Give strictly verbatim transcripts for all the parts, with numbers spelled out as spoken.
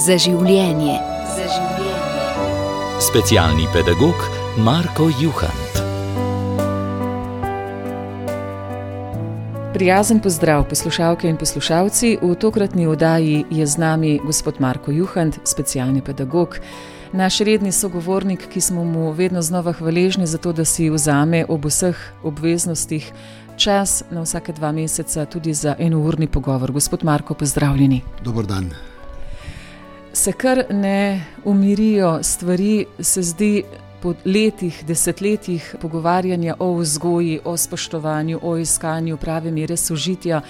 Za življenje. Za življenje. Specialni pedagog Marko Juhant. Prijazen pozdrav, poslušalke in poslušalci. V tokratni oddaji je z nami gospod Marko Juhant, specialni pedagog, naš redni sogovornik, ki smo mu vedno znova hvaležni za to, da si vzame ob vseh obveznostih čas na vsake dva meseca tudi za enourni pogovor. Gospod Marko, pozdravljeni. Dober dan. Se kar ne umirijo stvari, se zdi, po letih, desetletjih pogovarjanja o vzgoji, o spoštovanju, o iskanju prave mere sožitja,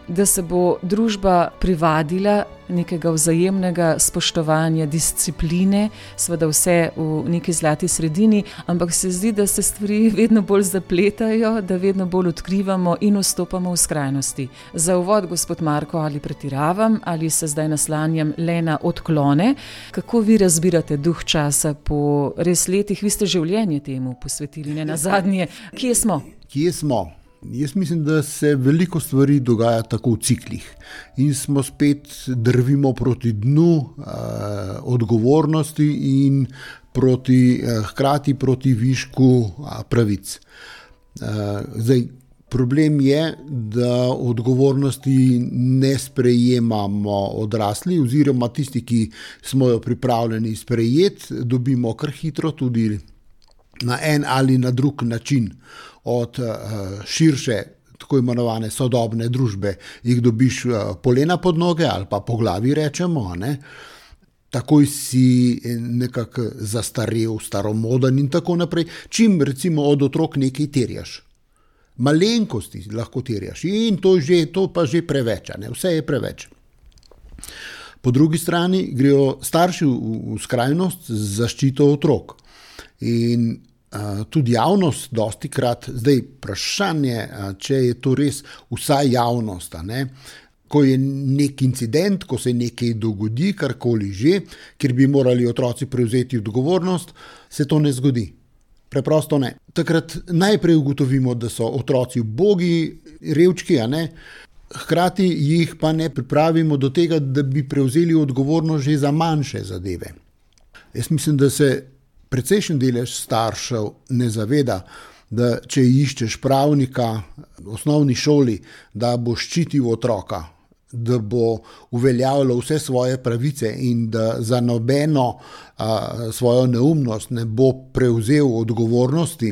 da se bo družba privadila nekega vzajemnega spoštovanja, discipline, seveda vse v neki zlati sredini, ampak se zdi, da se stvari vedno bolj zapletajo, da vedno bolj odkrivamo in vstopamo v skrajnosti. Za uvod, gospod Marko, ali pretiravam, ali se zdaj naslanjam le na odklone? Kako vi razbirate duh časa po res letih? Vi ste življenje temu posvetili, ne nazadnje. Kje smo? Kje smo? Jaz mislim, da se veliko stvari dogaja tako v ciklih in smo spet drvimo proti dnu eh, odgovornosti in proti, eh, hkrati proti višku eh, pravic. Eh, zdaj, problem je, da odgovornosti ne sprejemamo odrasli oziroma tisti, ki smo jo pripravljeni sprejeti, dobimo kar hitro tudi na en ali na drug način. Od uh, širše, tako imenovane sodobne družbe, jih dobiš uh, polena pod noge ali pa po glavi rečemo, ne? Takoj si nekako zastarel, staromoden in tako naprej. Čim recimo od otrok nekaj terjaš, malenkosti lahko terjaš in to, že, to pa že preveč, ne? Vse je preveč. Po drugi strani grejo starši v, v skrajnost z zaščito otrok in Uh, tudi javnost dosti krat, zdaj vprašanje, uh, če je to res vsa javnost, ne? Ko je nek incident, ko se nekaj dogodi, karkoli že, kjer bi morali otroci prevzeti odgovornost, se to ne zgodi. Preprosto ne. Takrat najprej ugotovimo, da so otroci ubogi, revčki, a ne? Hkrati jih pa ne pripravimo do tega, da bi prevzeli odgovornost že za manjše zadeve. Jaz mislim, da se precejšen delež staršev ne zaveda, da če iščeš pravnika v osnovni šoli, da bo ščitil otroka, da bo uveljavljal vse svoje pravice in da za nobeno a, svojo neumnost ne bo prevzel odgovornosti,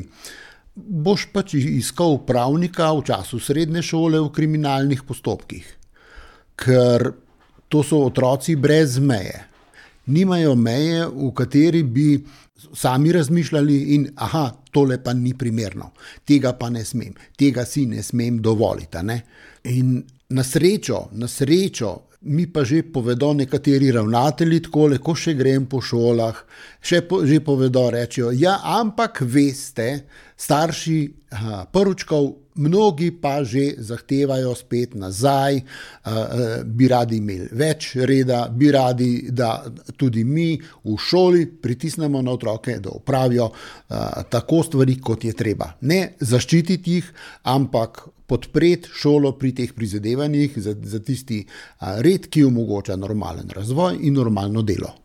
boš pač iskal pravnika v času srednje šole v kriminalnih postopkih. Ker to so otroci brez meje. Nimajo meje, v kateri bi sami razmišljali in aha, tole pa ni primerno, tega pa ne smem, tega si ne smem dovoliti. Ne? In na srečo, na srečo mi pa že povedo nekateri ravnatelji takole, ko še grem po šolah, še po, že povedo, rečejo, ja, ampak veste, starši aha, prvičkov, mnogi pa že zahtevajo spet nazaj, uh, bi radi imeli več reda, bi radi, da tudi mi v šoli pritisnemo na otroke, da opravijo uh, tako stvari, kot je treba. Ne zaščititi jih, ampak podpreti šolo pri teh prizadevanjih za, za tisti uh, red, ki omogoča normalen razvoj in normalno delo.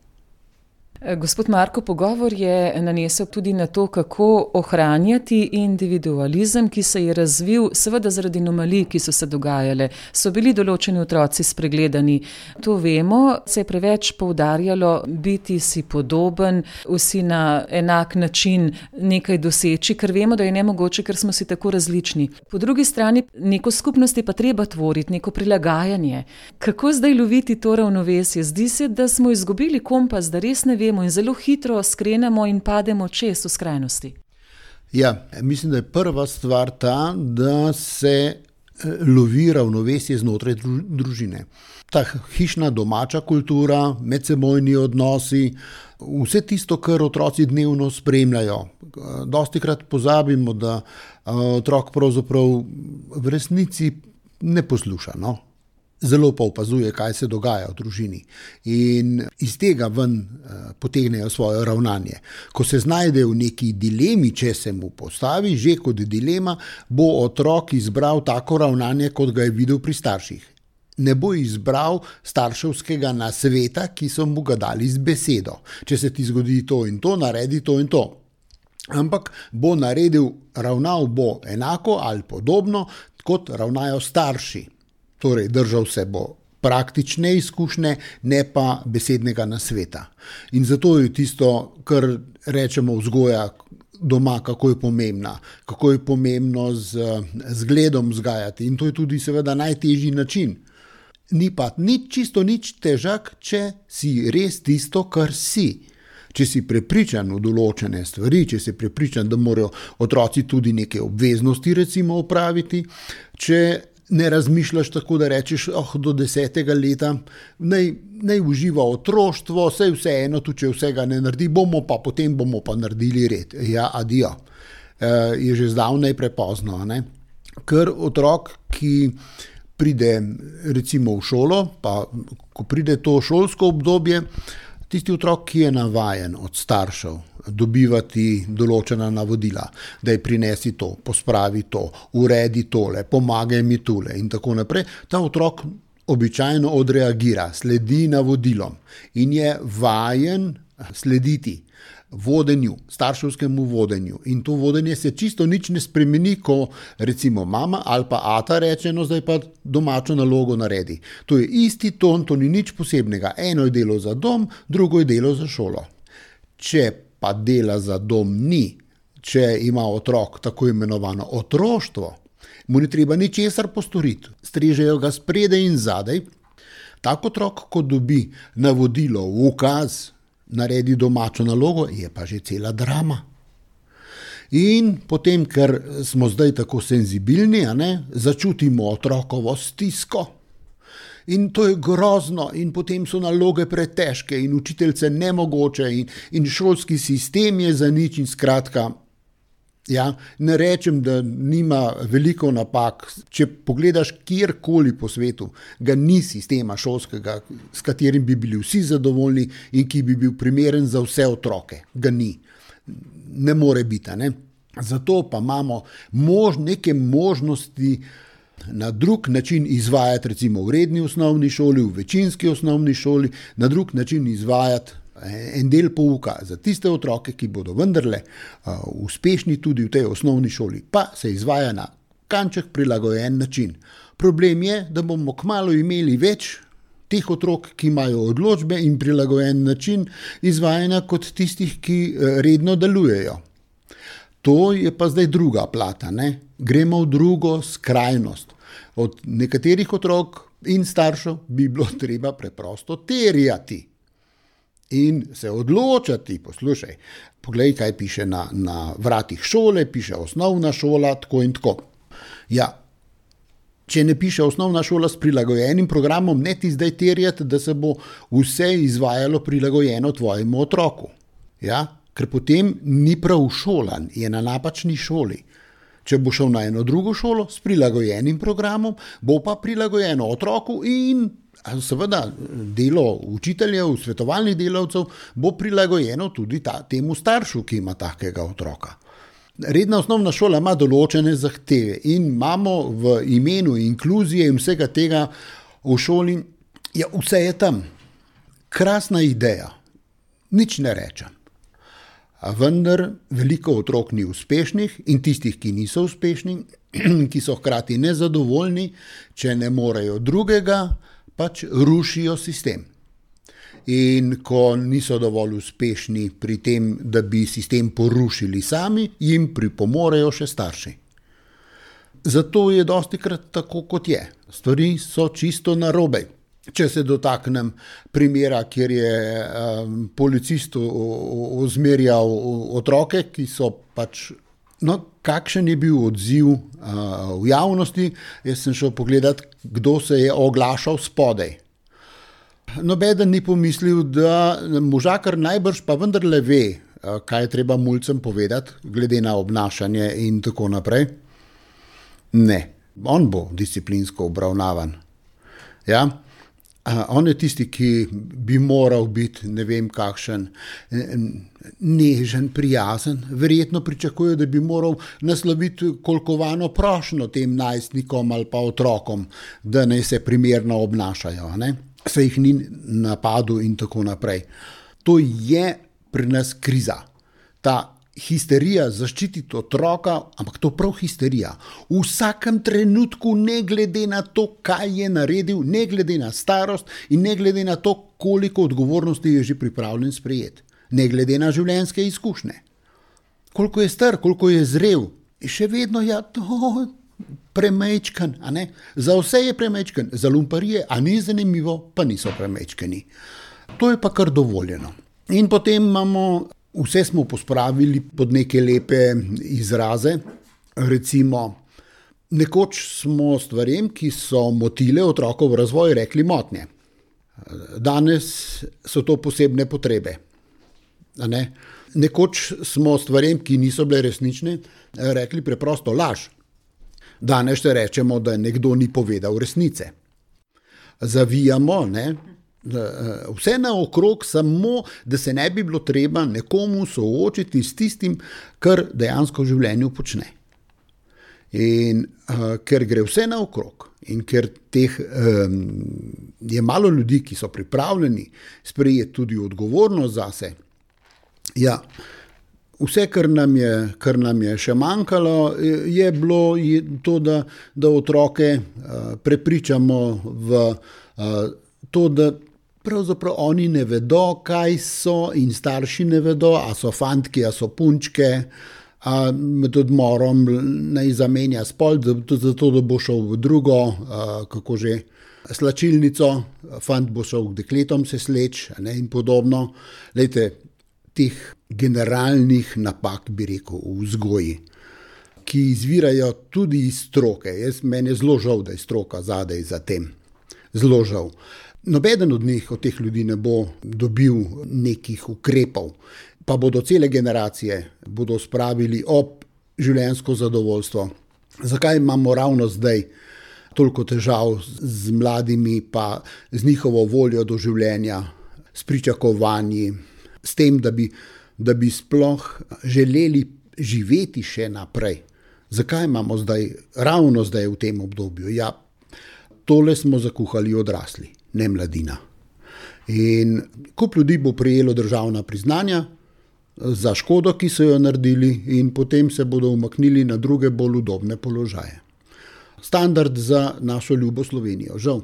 Gospod Marko, pogovor je nanesel tudi na to, kako ohranjati individualizem, ki se je razvil seveda zaradi anomalij, ki so se dogajale. So bili določeni otroci spregledani. To vemo, se je preveč poudarjalo biti si podoben, vsi na enak način nekaj doseči, ker vemo, da je nemogoče, ker smo si tako različni. Po drugi strani neko skupnost je pa treba tvoriti, neko prilagajanje. Kako zdaj loviti to ravnovesje? Zdi se, da smo izgubili kompas, da res ne vemo in zelo hitro skrenemo in pademo čez v skrajnosti. Ja, mislim, da je prva stvar ta, da se lovi ravnovesje znotraj družine. Ta hišna domača kultura, medsebojni odnosi, vse tisto, kar otroci dnevno spremljajo. Dostikrat pozabimo, da otrok pravzaprav v resnici ne posluša, no? Zelo pa opazuje, kaj se dogaja v družini in iz tega ven uh, potegnejo svoje ravnanje. Ko se znajde v neki dilemi, če se mu postavi, že kot dilema, bo otrok izbral tako ravnanje, kot ga je videl pri starših. ne bo izbral starševskega nasveta, ki so mu ga dali z besedo. Če se ti zgodi to in to, naredi to in to. Ampak bo naredil, ravnal bo enako ali podobno, kot ravnajo starši. Torej, držal se bo praktične izkušnje, ne pa besednega nasveta. In zato je tisto, kar rečemo vzgoja doma, kako je pomembna, kako je pomembno z zgledom vzgajati. In to je tudi seveda najtežji način. Ni pa nič, čisto nič težak, če si res tisto, kar si. Če si prepričan v določene stvari, če si prepričan, da morajo otroci tudi neke obveznosti recimo opraviti, če ne razmišljaš tako, da rečeš, oh, do desetega leta, naj, naj uživa otroštvo, saj vseeno, tudi če vsega ne naredi, bomo pa potem bomo pa naredili red. Ja, adijo. E, je že zdavnaj prepozno, ne? Ker otrok, ki pride recimo v šolo, pa ko pride to šolsko obdobje, tisti otrok, ki je navajen od staršev dobivati določena navodila, da je prinesi to, pospravi to, uredi tole, pomagaj mi tule in tako naprej, ta otrok običajno odreagira, sledi navodilom in je vajen slediti vodenju, starševskemu vodenju. In to vodenje se čisto nič ne spremeni, ko recimo mama ali pa ata reče, no zdaj pa domačo nalogo naredi. To je isti ton, to ni nič posebnega. Eno je delo za dom, drugo je delo za šolo. Če pa dela za dom ni, če ima otrok tako imenovano otroštvo, mu ni treba ničesar postoriti. Strežejo ga spredaj in zadaj. Tak otrok, ko dobi navodilo, ukaz, naredi domačo nalogo, je pa že cela drama. In potem, ker smo zdaj tako senzibilni, a ne, začutimo otrokovo stisko. In to je grozno in potem so naloge pretežke in učiteljce nemogoče in, in šolski sistem je za nič in skratka, ja, ne rečem, da nima veliko napak. Če pogledaš kjerkoli po svetu, ga ni sistema šolskega, s katerim bi bili vsi zadovoljni in ki bi bil primeren za vse otroke. Ga ni. Ne more biti, ne? Zato pa imamo mož, neke možnosti na drug način izvajati, recimo v redni osnovni šoli, v večinski osnovni šoli, na drug način izvajati en del pouka za tiste otroke, ki bodo vendarle uh, uspešni tudi v tej osnovni šoli, pa se izvaja na kanček prilagojen način. Problem je, da bomo kmalu imeli več teh otrok, ki imajo odločbe in prilagojen način izvajanja kot tistih, ki uh, redno delujejo. To je pa zdaj druga plata, ne? Gremo v drugo skrajnost. Od nekaterih otrok in staršev bi bilo treba preprosto terjati. In se odločati, poslušaj, poglej, kaj piše na, na vratih šole, piše osnovna šola, tako in tako. Ja, če ne piše osnovna šola s prilagojenim programom, ne ti zdaj terjati, da se bo vse izvajalo prilagojeno tvojemu otroku. Ja, ker potem ni prav šolan, je na napačni šoli. Če bo šel na eno drugo šolo s prilagojenim programom, bo pa prilagojeno otroku in seveda delo učiteljev, svetovalnih delavcev bo prilagojeno tudi ta, temu staršu, ki ima takega otroka. Redna osnovna šola ima določene zahteve in imamo v imenu inkluzije in vsega tega v šoli, ja, vse je tam. Krasna ideja, nič ne rečem. A vendar veliko otrok ni uspešnih in tistih, ki niso uspešni, ki so hkrati nezadovoljni, če ne morejo drugega, pač rušijo sistem. In ko niso dovolj uspešni pri tem, da bi sistem porušili sami, jim pripomorejo še starši. Zato je dostikrat tako, kot je. Stvari so čisto narobe. Če se dotaknem primera, kjer je um, policist ozmerjal otroke, ki so pač, no, kakšen je bil odziv uh, v javnosti, jaz sem šel pogledat, kdo se je oglašal spodaj. Nobeden ni pomislil, da možakar najbrž pa vendarle ve, uh, kaj je treba mulcem povedati, glede na obnašanje in tako naprej. Ne, on bo disciplinsko obravnavan. Ja? On je tisti, ki bi moral biti ne vem kakšen, nežen, prijazen. Verjetno pričakuje, da bi moral nasloviti kolkovano prošnjo tem najstnikom ali pa otrokom, da naj se primerno obnašajo, ne? Se jih ni napadel in tako naprej. To je pri nas kriza. Ta histerija zaščititi otroka, ampak to prav histerija. V vsakem trenutku, ne glede na to, kaj je naredil, ne glede na starost in ne glede na to, koliko odgovornosti je že pripravljen sprejeti. Ne glede na življenjske izkušnje. Koliko je star, koliko je zrel, je še vedno ja, to premečken, a ne? Za vse je premečken, za lumparije, a ni zanimivo, pa niso premečkeni. To je pa kar dovoljeno. In potem imamo vse smo pospravili pod neke lepe izraze. Recimo, nekoč smo stvarem, ki so motile otrokov razvoj, rekli motnje. Danes so to posebne potrebe. A ne? Nekoč smo stvarem, ki niso bile resnične, rekli preprosto laž. Danes še rečemo, da nekdo ni povedal resnice. Zavijamo, ne? Vse naokrog, samo da se ne bi bilo treba nekomu soočiti s tistim, kar dejansko v življenju počne. In uh, ker gre vse naokrog in ker teh, um, je malo ljudi, ki so pripravljeni sprejeti tudi odgovornost zase, ja, vse, kar nam je, kar nam je še manjkalo, je bilo je to, da, da otroke uh, prepričamo v uh, to, da pravzaprav oni ne vedo, kaj so in starši ne vedo, a so fantki, a so punčke, a med odmorom naj zamenja spol, zato da bo šel v drugo, a, kako že, slačilnico, fant bo šel k dekletom se sleč, ne, in podobno. Lejte, teh generalnih napak, bi rekel, v vzgoji, ki izvirajo tudi iz stroke. Jaz, meni je zelo žal, da je stroka zadaj za tem. Zelo žal. Nobeden od njih, od teh ljudi ne bo dobil nekih ukrepov, pa bodo cele generacije bodo spravili ob življenjsko zadovoljstvo. Zakaj imamo ravno zdaj toliko težav z mladimi, pa z njihovo voljo do življenja, s pričakovanji, s tem, da bi, da bi sploh želeli živeti še naprej? Zakaj imamo zdaj, ravno zdaj v tem obdobju? Ja, tole smo zakuhali odrasli, ne mladina. In kup ljudi bo prejelo državna priznanja za škodo, ki so jo naredili, in potem se bodo umaknili na druge bolj udobne položaje. Standard za našo ljubo Slovenijo. Žal,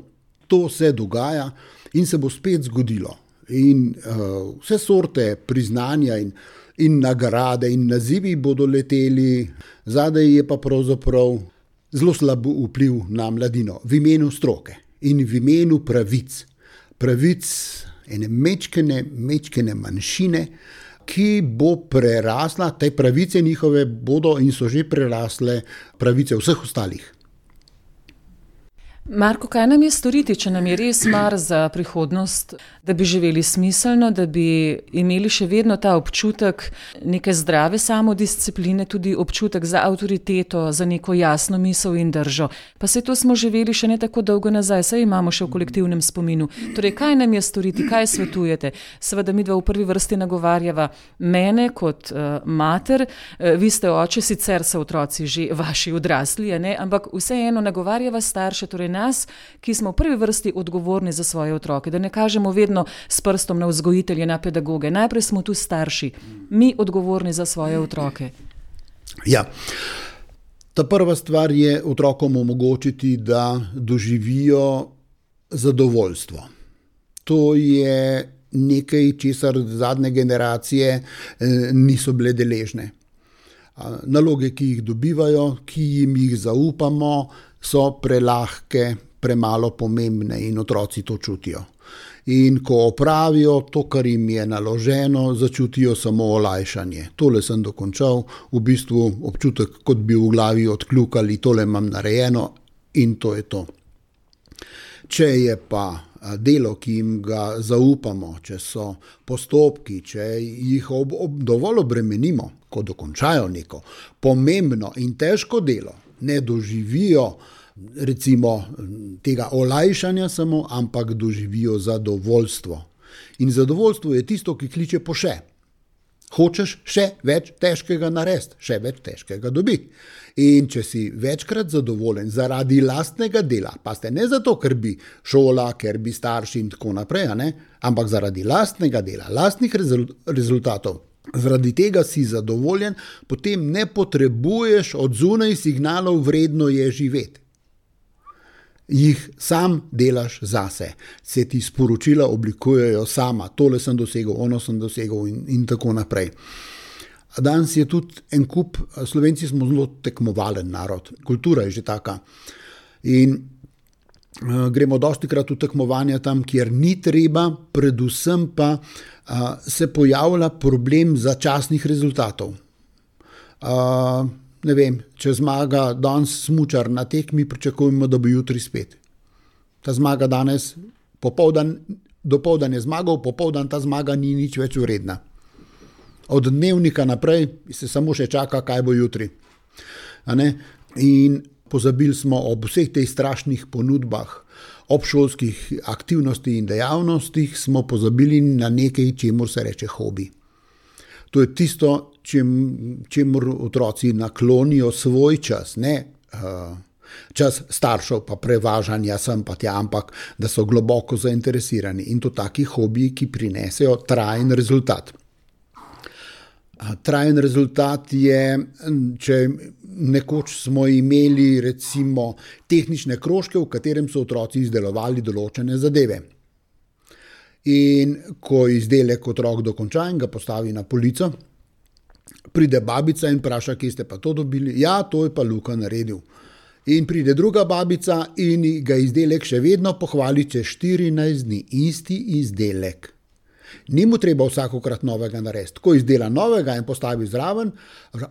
to se dogaja in se bo spet zgodilo. In uh, vse sorte priznanja in, in nagrade in nazivi bodo leteli, zadaj je pa pravzaprav zelo slab vpliv na mladino v imenu stroke in v imenu pravic. Pravic ene mečkene, mečkene manjšine, ki bo prerasla, te pravice njihove bodo in so že prerasle pravice vseh ostalih. Marko, kaj nam je storiti, če nam je res mar za prihodnost, da bi živeli smiselno, da bi imeli še vedno ta občutek neke zdrave samodiscipline, tudi občutek za avtoriteto, za neko jasno misel in držo. Pa se to smo živeli še ne tako dolgo nazaj, saj imamo še v kolektivnem spominu. Torej, kaj nam je storiti, kaj svetujete? Seveda midva v prvi vrsti nagovarjava mene kot uh, mater, uh, vi ste oče, sicer so otroci že vaši odrasli, ne? Ampak vseeno nagovarjava starše, torej nas, ki smo v prvi vrsti odgovorni za svoje otroke, da ne kažemo vedno s prstom na vzgojitelje, na pedagoge. Najprej smo tu starši, mi odgovorni za svoje otroke. Ja, ta prva stvar je otrokom omogočiti, da doživijo zadovoljstvo. To je nekaj, česar zadnje generacije niso bile deležne. Naloge, ki jih dobivajo, ki jim jih zaupamo, so prelahke, premalo pomembne in otroci to čutijo. In ko opravijo to, kar jim je naloženo, začutijo samo olajšanje. Tole sem dokončal, v bistvu občutek, kot bi v glavi odkljukali, tole imam narejeno in to je to. Če je pa delo, ki jim ga zaupamo, če so postopki, če jih ob, ob, dovolj obremenimo, ko dokončajo neko pomembno in težko delo, ne doživijo recimo tega olajšanja samo, ampak doživijo zadovoljstvo. In zadovoljstvo je tisto, ki kliče po še. Hočeš še več težkega narediti, še več težkega dobiti. In če si večkrat zadovoljen zaradi lastnega dela, pa ste ne zato, ker bi šola, ker bi starši in tako naprej, ne? Ampak zaradi lastnega dela, lastnih rezultatov, zaradi tega si zadovoljen, potem ne potrebuješ od zunaj signalov, vredno je živeti. Jih sam delaš zase, se ti sporočila oblikujejo sama, tole sem dosegel, ono sem dosegel in, in tako naprej. Danes je tudi en kup, Slovenci smo zelo tekmovalen narod, kultura je že taka in uh, gremo dostikrat v tekmovanja tam, kjer ni treba, predvsem pa uh, se pojavlja problem začasnih rezultatov. Uh, Ne vem, če zmaga danes smučar na tekmi, pričakujemo, da bo jutri spet. Ta zmaga danes, popoldan, dopoldan je zmagal, popoldan ta zmaga ni nič več vredna. Od dnevnika naprej se samo še čaka, kaj bo jutri. A ne? In pozabili smo ob vseh teh strašnih ponudbah, ob šolskih aktivnosti in dejavnostih, smo pozabili na nekaj, čemur se reče hobi. To je tisto, čem, čemur otroci naklonijo svoj čas, ne uh, čas staršev pa prevažanja sem pa tja, ampak da so globoko zainteresirani in to taki hobiji, ki prinesejo trajen rezultat. Uh, trajen rezultat je, če nekoč smo imeli recimo tehnične krožke, v katerem so otroci izdelovali določene zadeve. In ko izdelek otrok dokonča in ga postavi na polico, pride babica in vpraša, kje ste pa to dobili? Ja, to je pa Luka naredil. In pride druga babica in ga izdelek še vedno pohvali čez štirinajst dni. Isti izdelek. Ni mu treba vsakokrat novega narediti. Ko izdela novega in postavi zraven,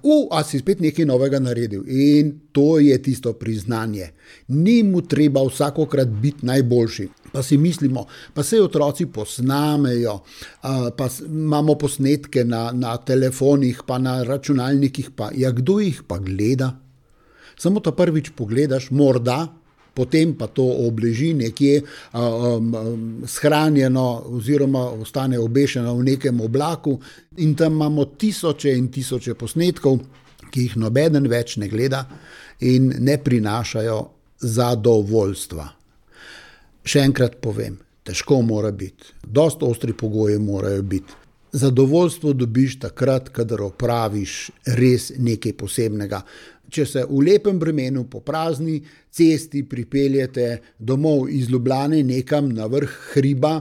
u, a si spet nekaj novega naredil. In to je tisto priznanje. Ni mu treba vsakokrat biti najboljši. Pa si mislimo, pa se otroci posnamejo, pa imamo posnetke na, na telefonih, pa na računalnikih, pa ja, kdo jih pa gleda? Samo to prvič pogledaš, morda, potem pa to obleži nekje um, um, shranjeno oziroma ostane obešeno v nekem oblaku in tam imamo tisoče in tisoče posnetkov, ki jih nobeden več ne gleda in ne prinašajo zadovoljstva. Še enkrat povem, težko mora biti, dosti ostri pogoji morajo biti. Zadovoljstvo dobiš takrat, kadar opraviš res nekaj posebnega. Če se v lepem vremenu po prazni cesti pripeljete domov iz Ljubljane nekam na vrh hriba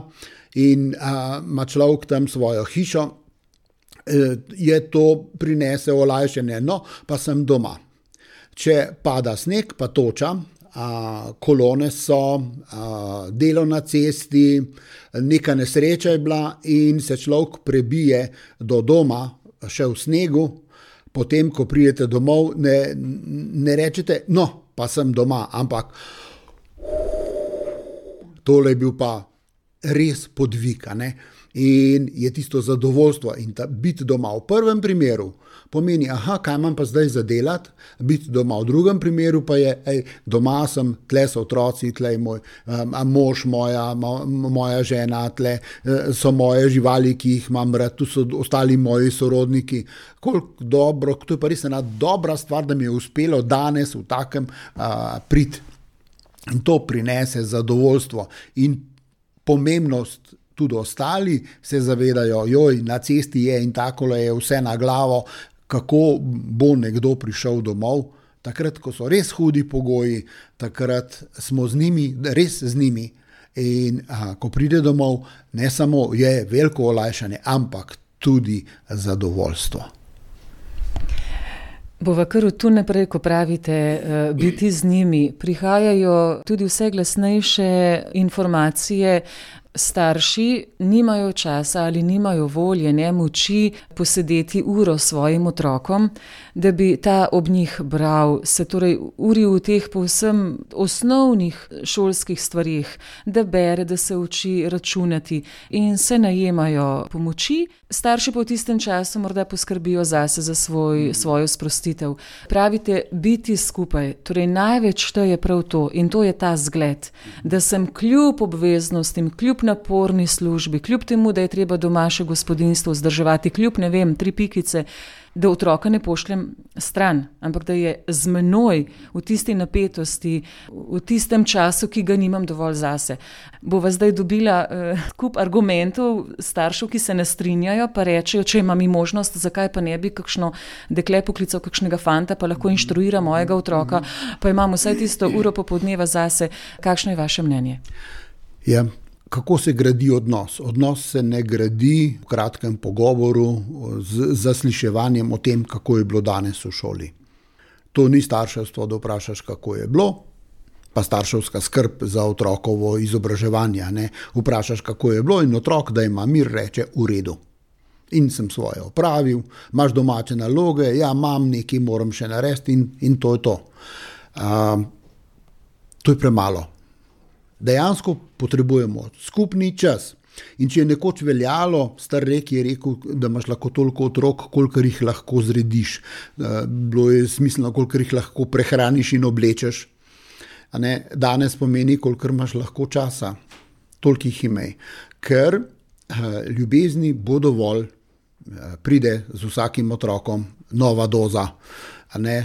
in a, ima človek tam svojo hišo, e, je to prinese olajšanje, no, pa sem doma. Če pada sneg, pa toča, a, kolone so, a, delo na cesti, neka nesreča je bila in se človek prebije do doma, še v snegu. Potem, ko pridete domov, ne, ne rečete, no, pa sem doma, ampak tole je bil pa res podvig, ne? In je tisto zadovoljstvo in ta biti doma v prvem primeru pomeni, aha, kaj imam pa zdaj za delati, biti doma v drugem primeru pa je, ej, doma sem, tle so otroci, tle je moj um, mož, moja, mo, moja žena, tle so moje živali, ki jih imam rad, tu so ostali moji sorodniki. Koliko dobro, to je pa res ena dobra stvar, da mi je uspelo danes v takem uh, priti. In to prinese zadovoljstvo in pomembnost. Tudi ostali se zavedajo, joj, na cesti je in takole je vse na glavo, kako bo nekdo prišel domov. Takrat, ko so res hudi pogoji, takrat smo z njimi, res z njimi. In a, ko pride domov, ne samo je veliko olajšanje, ampak tudi zadovoljstvo. Bova kar od tu naprej, ko pravite, biti z njimi, prihajajo tudi vse glasnejše informacije starši nimajo časa ali nimajo volje, ne moči posedeti uro s svojim otrokom, da bi ta ob njih bral, se torej uri v teh povsem osnovnih šolskih stvarih, da bere, da se uči računati in se najemajo pomoči. Starši pa v tistem času morda poskrbijo zase, za svoj, svojo sprostitev. Pravite, biti skupaj, torej največ šteje prav to in to je ta zgled, da sem kljub obveznostim, kljub naporni službi, kljub temu, da je treba doma še gospodinjstvo vzdrževati, kljub, ne vem, tri pikice, da otroka ne pošljem stran, ampak da je z menoj v tisti napetosti, v tistem času, ki ga nimam dovolj zase. Bova zdaj dobila uh, kup argumentov staršev, ki se ne strinjajo, pa rečejo, če ima mi možnost, zakaj pa ne bi kakšno dekle poklical kakšnega fanta, pa lahko inštruira mojega otroka, pa imam vsaj tisto uro popoldneva zase. Kakšno je vaše mnenje? Ja. Kako se gradi odnos? Odnos se ne gradi v kratkem pogovoru z zasliševanjem o tem, kako je bilo danes v šoli. To ni starševstvo, da vprašaš, kako je bilo, pa starševska skrb za otrokovo izobraževanje. Ne? Vprašaš, kako je bilo in otrok, da ima mir, reče v redu. In sem svoje opravil, imaš domače naloge, ja, imam nekaj, moram še narediti in, in to je to. Uh, to je premalo. Dejansko potrebujemo skupni čas. In če je nekoč veljalo, star rek je rekel, da imaš lahko toliko otrok, kolikor jih lahko zrediš. Bilo je smiselno, kolikor jih lahko prehraniš in oblečeš. A ne? Danes pomeni, kolikor imaš lahko časa. Toliko jih imej. Ker ljubezni bo dovolj, pride z vsakim otrokom nova doza, a ne?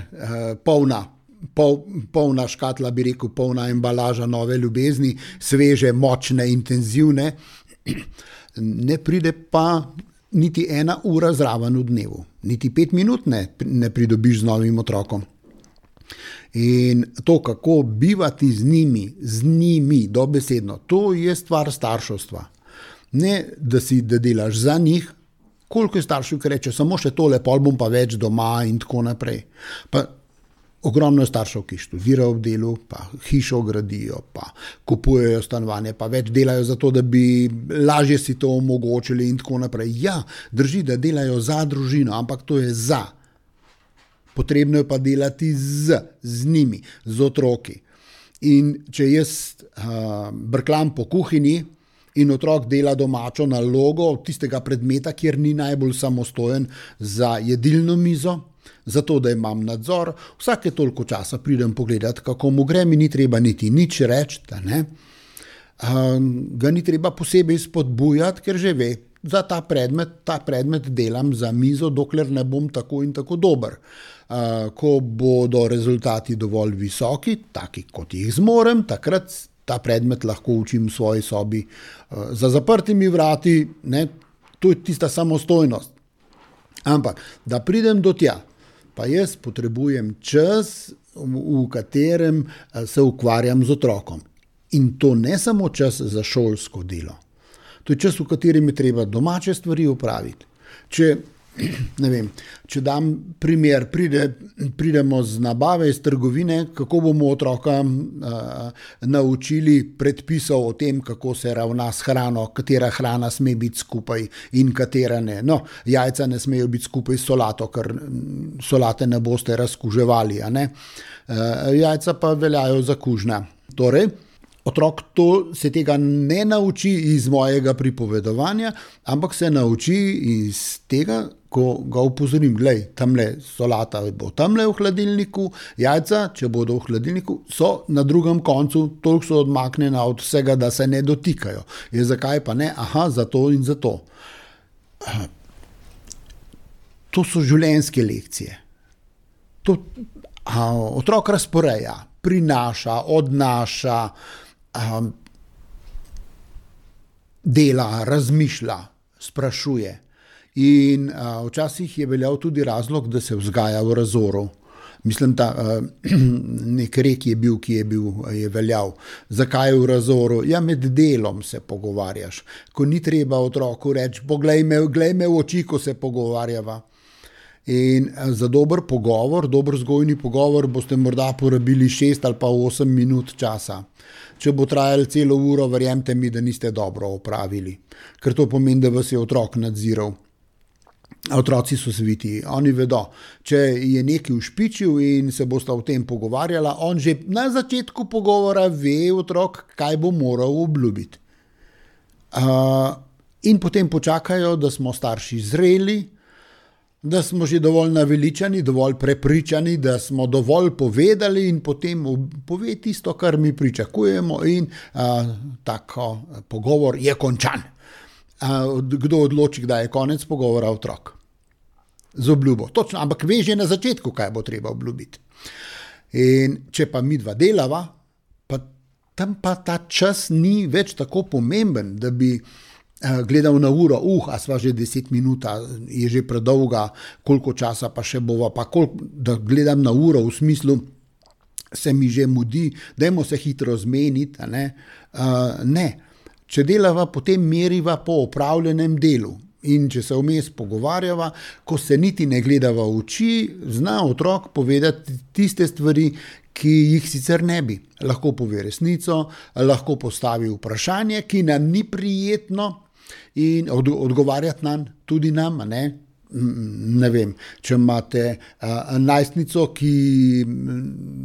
polna. Pol, polna škatla, bi rekel, polna embalaža nove ljubezni, sveže, močne, intenzivne, ne pride pa niti ena ura zraven v dnevu, niti pet minut ne, ne pridobiš z novim otrokom. In to, kako bivati z njimi, z njimi, dobesedno, to je stvar starševstva. Ne, da si, da delaš za njih, koliko je staršev, ki reče, samo še tole, pol bom pa več doma in tako naprej. Pa ogromno je staršev, ki študirajo v delu, pa hišo gradijo, pa kupujejo stanovanje, pa več delajo za to, da bi lažje si to omogočili in tako naprej. Ja, drži, da delajo za družino, ampak to je za. Potrebno je pa delati z, z njimi, z otroki. In če jaz uh, brklam po kuhinji in otrok dela domačo nalogo tistega predmeta, kjer ni najbolj samostojen za jedilno mizo, zato, da imam nadzor, vsake toliko časa pridem pogledati, kako mu gre, mi ni treba niti nič reči, da ne. Um, ga ni treba posebej spodbujati, ker že ve, za ta predmet, ta predmet delam za mizo, dokler ne bom tako in tako dober. Uh, ko bodo rezultati dovolj visoki, taki kot jih zmorem, takrat ta predmet lahko učim v svoji sobi uh, za zaprtimi vrati, ne, to je tista samostojnost. Ampak, da pridem do tja, pa jaz potrebujem čas, v katerem se ukvarjam z otrokom. In to ne samo čas za šolsko delo. To je čas, v katerem je treba domače stvari opraviti. Če, ne vem, če dam primer, pride, pridemo z nabave iz trgovine, kako bomo otroka uh, naučili predpisov o tem, kako se ravna s hrano, katera hrana sme biti skupaj in katera ne. No, jajca ne smejo biti skupaj s solato, ker solate ne boste razkuževali, a ne? Uh, jajca pa veljajo za kužna. Torej, otrok to, se tega ne nauči iz mojega pripovedovanja, ampak se nauči iz tega, ko ga upozorim, glej, tamle solata bo tamle v hladilniku, jajca, če bodo v hladilniku, so na drugem koncu, toliko so odmaknjena od vsega, da se ne dotikajo. Je zakaj pa ne? Aha, zato in zato. To so življenjske lekcije. To a, otrok razporeja, prinaša, odnaša, a, dela, razmišlja, sprašuje. In a, včasih je veljal tudi razlog, da se vzgaja v razoru. Mislim, da nek rek je bil, ki je bil, je veljal. Zakaj v razoru? Ja, med delom se pogovarjaš. Ko ni treba otroku reči, poglej me, glej me v oči, ko se pogovarjava. In za dober pogovor, dober vzgojni pogovor boste morda porabili šest ali pa osem minut časa. Če bo trajalo celo uro, verjemite mi, da niste dobro opravili, ker to pomeni, da vas je otrok nadziral. Otroci so sviti, oni vedo, če je nekaj ušpičil in se bosta o tem pogovarjala, on že na začetku pogovora ve otrok, kaj bo moral obljubiti. Uh, in potem počakajo, da smo starši zreli, da smo že dovolj naveličani, dovolj prepričani, da smo dovolj povedali in potem pove tisto, kar mi pričakujemo in uh, tako pogovor je končan. Uh, kdo odloči, kdaj je konec pogovora? Otrok. Z obljubo. Točno, ampak ve že na začetku, kaj bo treba obljubiti. In če pa mi dva delava, pa tam pa ta čas ni več tako pomemben, da bi gledal na uro, uh, a sva že deset minut, je že predolga, koliko časa pa še bova, pa koliko, da gledam na uro v smislu, se mi že mudi, dajmo se hitro zmeniti, a ne? Uh, ne. Če delava, potem meriva po opravljenem delu. In če se vmes pogovarjava, ko se niti ne gledava v oči, zna otrok povedati tiste stvari, ki jih sicer ne bi. Lahko pove resnico, lahko postavi vprašanje, ki nam ni prijetno in od, odgovarjati nam, tudi nam, ne? Ne vem, če imate uh, najstnico, ki,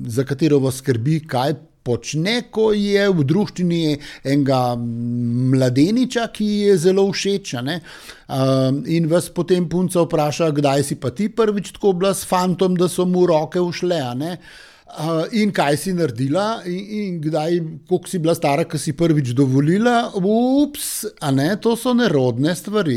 za katero vas skrbi, kaj počne, ko je v druščini enega mladeniča, ki je zelo všeč, ne? Um, in vas potem punca vpraša, kdaj si pa ti prvič tako bila s fantom, da so mu roke ušle, ne? Uh, in kaj si naredila in, in kdaj, koliko si bila stara, ko si prvič dovolila, ups, a ne, to so nerodne stvari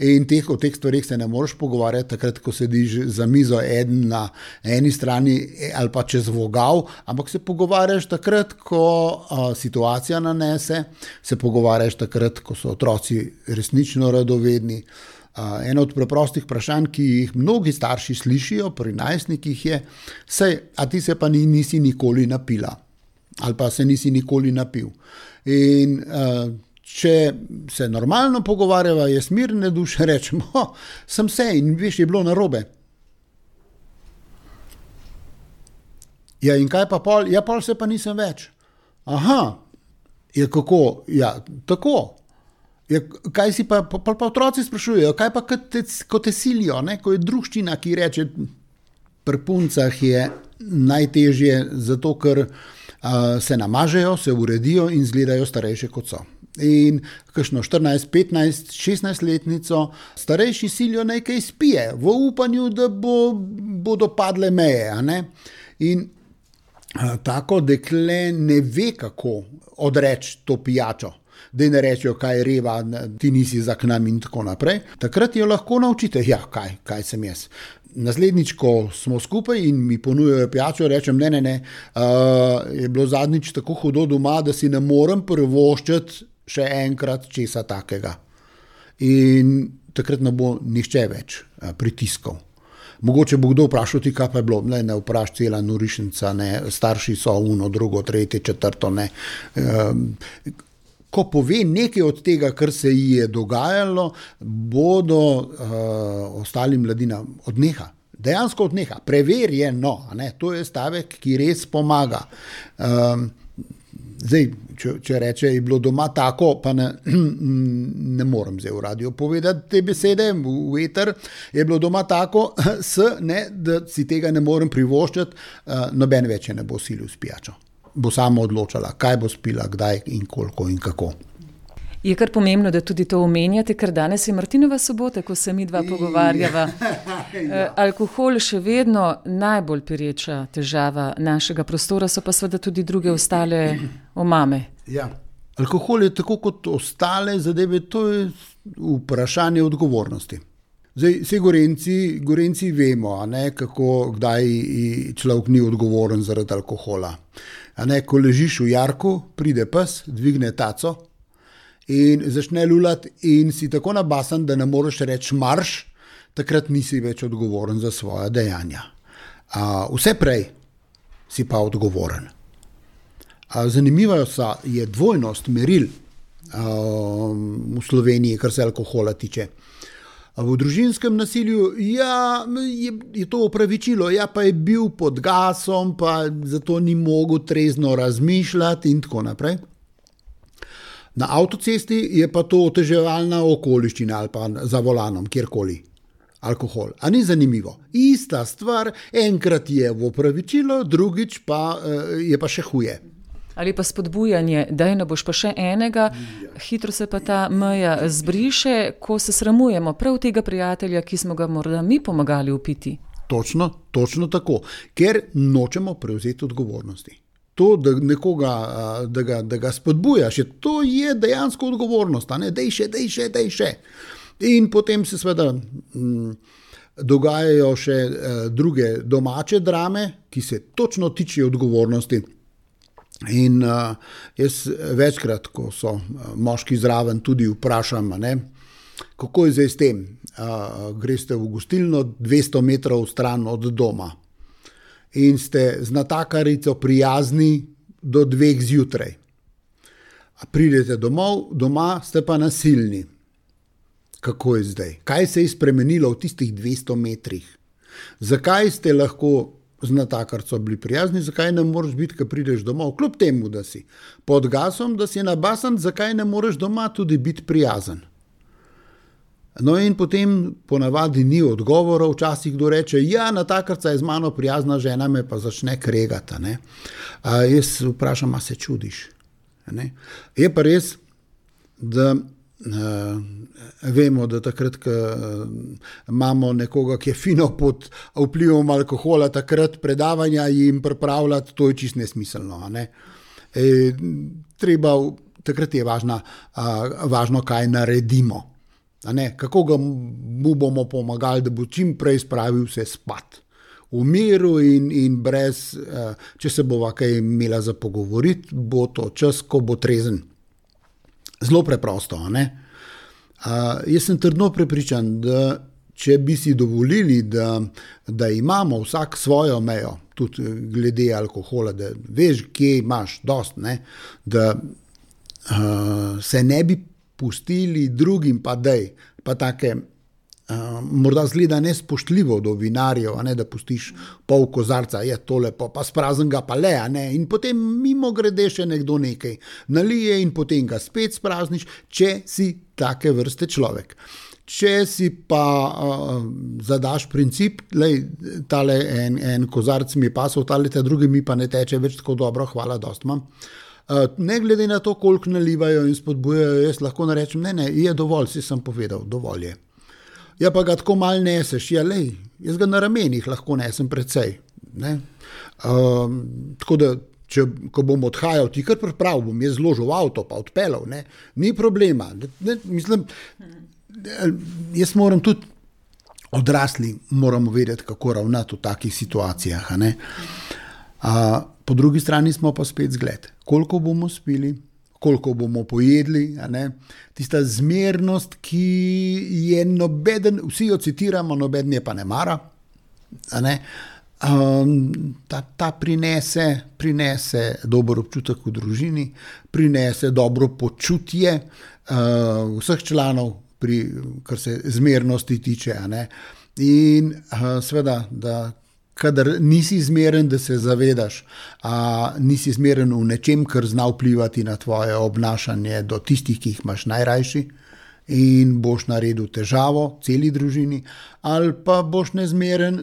in teh, o teh stvarih se ne moreš pogovarjati takrat, ko sediš za mizo eden na eni strani ali pa čez vogal, ampak se pogovarjaš takrat, ko uh, situacija nanese, se pogovarjaš takrat, ko so otroci resnično radovedni. Uh, eno od preprostih vprašanj, ki jih mnogi starši slišijo pri najstnikih je, sej, a ti se pa ni, nisi nikoli napila ali pa se nisi nikoli napil. In uh, če se normalno pogovarjava, je smirne duše, rečemo, oh, sem se in veš, je bilo narobe. Ja, in kaj pa pol? Ja, pol se pa nisem več. Aha, je kako? Ja, tako. Ja, kaj si pa, pa, pa otroci sprašujejo, kaj pa kot te, ko te silijo, ne? Ko je druščina, ki reče, pri puncah je najtežje zato, ker uh, se namažejo, se uredijo in izgledajo starejše kot so. In kakšno štirinajst, petnajst, šestnajst letnico starejši silijo naj kaj spije, v upanju, da bo, bodo padle meje, a ne? In uh, tako dekle ne ve, kako odreči to pijačo, da ne rečejo, kaj je reva, ti nisi za k nam in tako naprej. Takrat jo lahko naučite, ja, kaj, kaj sem jaz. Naslednjič, ko smo skupaj in mi ponujajo pijačo, rečem, ne, ne, ne, uh, je bilo zadnjič tako hudo doma, da si ne morem privoščiti še enkrat česa takega. In takrat ne bo nihče več uh, pritiskal. Mogoče bo kdo vprašal ti, kaj pa je bilo, ne, ne vpraš cela norišnica, ne, starši so uno, drugo, tretje, četrto, ne. Uh, Ko pove nekaj od tega, kar se ji je dogajalo, bodo uh, ostali mladina odneha. Dejansko odneha. Preverjeno. Ne? To je stavek, ki res pomaga. Um, zdaj, če, če reče, je bilo doma tako, pa ne, ne morem zdaj v radio povedati te besede, v eter, je bilo doma tako, s, ne, da si tega ne morem privoščiti, uh, noben več ne bo silil s pijačo. Bo sama odločala, kaj bo spila, kdaj in koliko in kako. Je kar pomembno, da tudi to omenjate, ker danes je Martinova sobota, ko se mi dva pogovarjava. Ja. Alkohol še vedno najbolj pereča težava našega prostora, so pa seveda tudi druge ostale omame. Ja. Alkohol je tako kot ostale zadeve, to je vprašanje odgovornosti. Zdaj, vse Gorenci, Gorenci vemo, a ne, kako, kdaj človek ni odgovoren zaradi alkohola. A ne, ko ležiš v jarku, pride pes, dvigne taco in začne lulati in si tako nabasan, da ne moreš reči marš, takrat nisi več odgovoren za svoja dejanja. A, vse prej si pa odgovoren. A, zanimiva je dvojnost meril a, v Sloveniji, kar se alkohola tiče. V družinskem nasilju ja, je, je to opravičilo, ja, pa je bil pod gasom, pa zato ni mogel trezno razmišljati in tako naprej. Na avtocesti je pa to oteževalna okoliščina ali pa za volanom, kjerkoli. Alkohol. A ni zanimivo? Ista stvar, enkrat je v opravičilo, drugič pa je pa še huje. Ali pa spodbujanje, daj ne boš pa še enega, hitro se pa ta meja zbriše, ko se sramujemo prav tega prijatelja, ki smo ga morda mi pomagali upiti. Točno, točno tako, ker nočemo prevzeti odgovornosti. To, da nekoga, da ga, da ga spodbujaš, to je dejansko odgovornost, a ne, dej še, dej še, dej še. In potem se seveda m, dogajajo še eh, druge domače drame, ki se točno tiče odgovornosti. In uh, jaz večkrat, ko so moški zraven, tudi vprašam, ne, kako je zdaj s tem. Uh, greste v gostilno dvesto metrov stran od doma in ste z natakarico prijazni do dveh zjutraj. A pridete domov, doma ste pa nasilni. Kako je zdaj? Kaj se je spremenilo v tistih dvesto metrih? Zakaj ste lahko z natakarco bili prijazni, zakaj ne moreš biti, ko prideš domov, kljub temu, da si pod gasom, da si nabasan, zakaj ne moreš doma tudi biti prijazen. No in potem ponavadi ni odgovorov, včasih kdo reče, ja, natakarca je z mano prijazna, žena me pa začne kregati. Ne? A jaz vprašam, a se čudiš? Ne? Je pa res, da Uh, vemo, da takrat, ko uh, imamo nekoga, ki je fino pod vplivom alkohola, takrat predavanja jim pripravljati, to je čisto nesmiselno. Ne? E, treba, takrat je važna, uh, važno, kaj naredimo. A ne? Kako ga mu bomo pomagali, da bo čim prej spravil vse spat. V miru in, in brez, uh, če se bova kaj imela za pogovoriti, bo to čas, ko bo trezen. Zelo preprosto, ne? Uh, jaz sem trdno prepričan, da če bi si dovolili, da, da imamo vsak svojo mejo, tudi glede alkohola, da veš, kje imaš dost, ne? Da uh, se ne bi pustili drugim, pa dej, pa take, uh, morda zgleda nespoštljivo do vinarjev, a ne, da pustiš pol kozarca, je to lepo, pa sprazen ga pa le, a ne, in potem mimo grede še nekdo nekaj nalije in potem ga spet sprazniš, če si take vrste človek. Če si pa uh, zadaš princip, lej, tale en, en kozarc mi je pasal, tale ta drugi mi pa ne teče več tako dobro, hvala, dost imam. Uh, ne glede na to, koliko nalivajo in spodbujajo, jaz lahko narečem, ne, ne, je dovolj, si sem povedal, dovolj je. Ja, pa ga tako mal neseš, ja, lej, jaz ga na ramenih lahko nesem precej. Ne? Um, tako da, če, ko bom odhajal, ti kar pripravil, bom jaz zložil v avto, pa odpeljal, ne? Ni problema. Ne, mislim, jaz moram tudi, odrasli moramo vedeti, kako ravnati v takih situacijah. A ne? Uh, po drugi strani smo pa spet zgled. Koliko bomo spili, koliko bomo pojedli, a ne? Tista zmernost, ki je nobeden, vsi jo citiramo, nobeden je pa ne mara, a ne? Um, ta, ta prinese, prinese dober občutek v družini, prinese dobro počutje uh, vseh članov, pri, kar se zmernosti tiče, a ne? In uh, seveda, da kadar nisi zmeren, da se zavedaš, a nisi zmeren v nečem, kar zna vplivati na tvoje obnašanje do tistih, ki jih imaš najrajši in boš naredil težavo celi družini, ali pa boš nezmeren,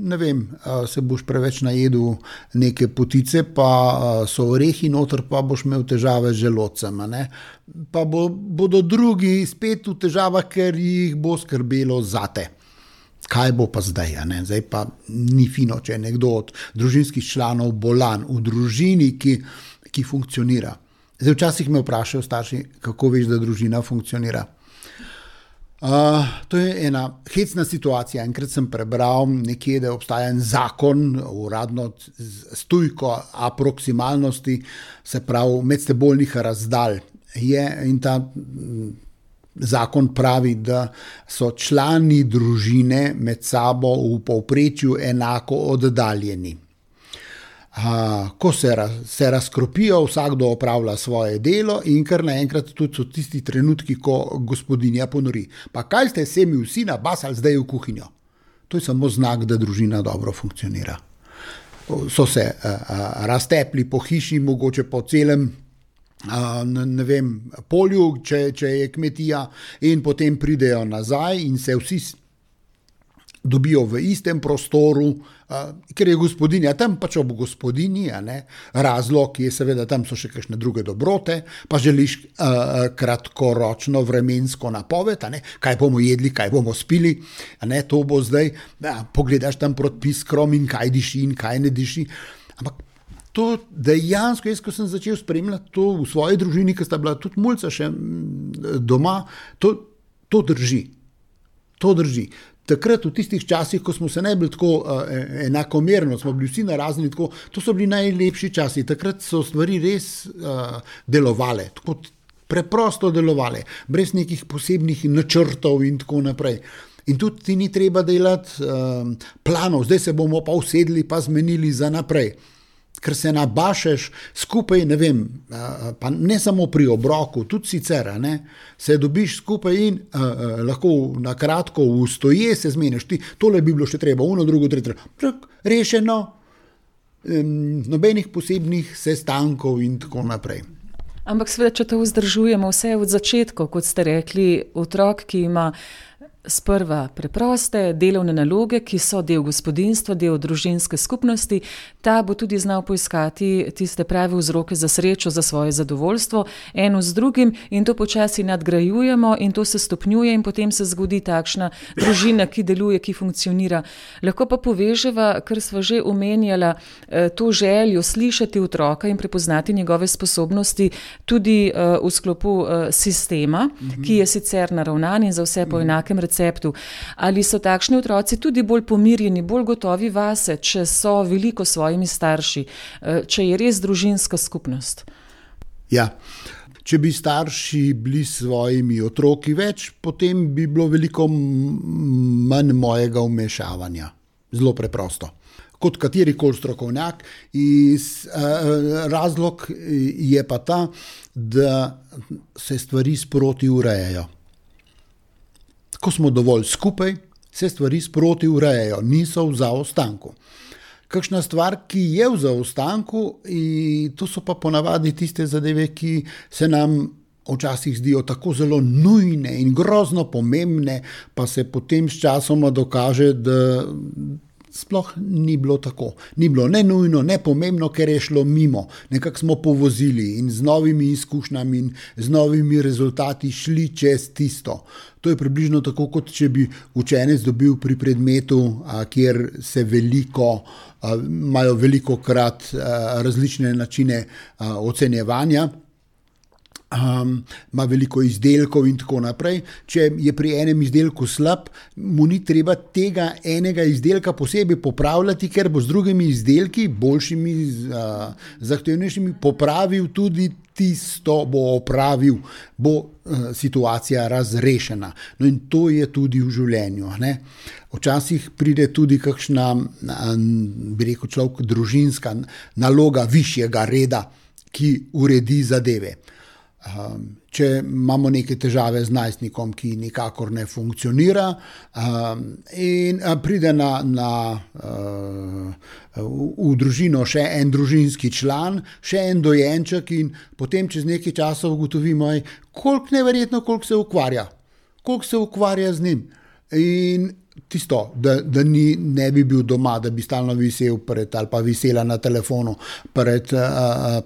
ne vem, se boš preveč najedel neke potice, pa so orehi noter, pa boš imel težave z želodcem, ne? Pa bo, bodo drugi spet v težavah, ker jih bo skrbelo zate. Kaj bo pa zdaj, a ne? Zdaj pa ni fino, če je nekdo od družinskih članov bolan v družini, ki, ki funkcionira. Zdaj včasih me vprašajo starši, kako veš, da družina funkcionira. Uh, to je ena hecna situacija. Enkrat sem prebral nekje, da obstaja en zakon, uradno s tujko aproksimalnosti, se pravi medsebojnih razdalj. Je in ta zakon pravi, da so člani družine med sabo v povprečju enako oddaljeni. a, ko se, raz, se razkropijo, vsakdo opravlja svoje delo in kar naenkrat tudi so tisti trenutki, ko gospodinja ponori. Pa kaj ste se mi vsi nabasali zdaj v kuhinjo? To je samo znak, da družina dobro funkcionira. So se a, a, raztepli po hiši, mogoče po celem a, ne vem, polju, če, če je kmetija, in potem pridejo nazaj in se vsi dobijo v istem prostoru, uh, ker je gospodinja tam, pač ob gospodinji, a ne? Razlog je seveda, tam so še kakšne druge dobrote, pa želiš uh, kratkoročno vremensko napoved, a ne? Kaj bomo jedli, kaj bomo spili, a ne? To bo zdaj, ja, pogledaš tam proti piskrom in kaj diši in kaj ne diši, ampak to dejansko, jaz ko sem začel spremljati to v svoji družini, ki sta bila tudi mulca še doma, to, to drži, to drži. Takrat v tistih časih, ko smo se ne bili tako uh, enakomerno, smo bili vsi narazni, tako, to so bili najlepši časi. Takrat so stvari res uh, delovale, tako preprosto delovale, brez nekih posebnih načrtov in tako naprej. In tudi ti ni treba delati uh, planov, zdaj se bomo pa usedli, pa zmenili za naprej. Ker se nabašeš skupaj, ne vem, pa ne samo pri obroku, tudi sicer, ne, se dobiš skupaj in uh, uh, lahko na kratko v stoje se zmeniš. Ti, tole bi bilo še treba, uno, drugo, tretje, rešeno, um, nobenih posebnih sestankov in tako naprej. Ampak seveda, če to vzdržujemo vse od začetka, kot ste rekli, otrok, ki ima sprva preproste delovne naloge, ki so del gospodinjstva, del družinske skupnosti, ta bo tudi znal poiskati tiste prave vzroke za srečo, za svoje zadovoljstvo, eno z drugim, in to počasi nadgrajujemo in to se stopnjuje in potem se zgodi takšna družina, ki deluje, ki funkcionira. Lahko pa poveževa, ker sva že omenjala, to željo slišati otroka in prepoznati njegove sposobnosti tudi v sklopu sistema, mm-hmm. ki je sicer naravnan in za vse po enakem receptu. Ali so takšni otroci tudi bolj pomirjeni, bolj gotovi vase, če so veliko s svojimi starši, če je res družinska skupnost? Ja, če bi starši bili s svojimi otroki več, potem bi bilo veliko manj mojega vmešavanja. Zelo preprosto. Kot katerikoli strokovnjak. Iz, eh, razlog je pa ta, da se stvari sproti urejajo. Ko smo dovolj skupaj, se stvari sproti urejajo, niso v zaostanku. Kakšna stvar, ki je v zaostanku, to so pa ponavadi tiste zadeve, ki se nam včasih zdijo tako zelo nujne in grozno pomembne, pa se potem s časoma dokaže, da sploh ni bilo tako. Ni bilo ne nujno, ne pomembno, ker je šlo mimo. Nekako smo povozili in z novimi izkušnjami in z novimi rezultati šli čez tisto. To je približno tako, kot če bi učenec dobil pri predmetu, a, kjer se veliko, a, imajo veliko krat a, različne načine a, ocenjevanja, Um, ima veliko izdelkov in tako naprej. Če je pri enem izdelku slab, mu ni treba tega enega izdelka posebej popravljati, ker bo z drugimi izdelki, boljšimi, uh, zahtevnejšimi, popravil tudi tisto, bo opravil, bo uh, situacija razrešena. No in to je tudi v življenju, ne? Včasih pride tudi kakšna, bi rekel človek, družinska naloga višjega reda, ki uredi zadeve. Um, če imamo neke težave z najstnikom, ki nikakor ne funkcionira, um, in uh, pride na, na, uh, v, v družino še en družinski član, še en dojenček in potem čez nekaj časa ugotovimo, koliko neverjetno, koliko se ukvarja, koliko se ukvarja z njim. In tisto, da, da ni, ne bi bil doma, da bi stalno visel pred, ali pa visela na telefonu, pred,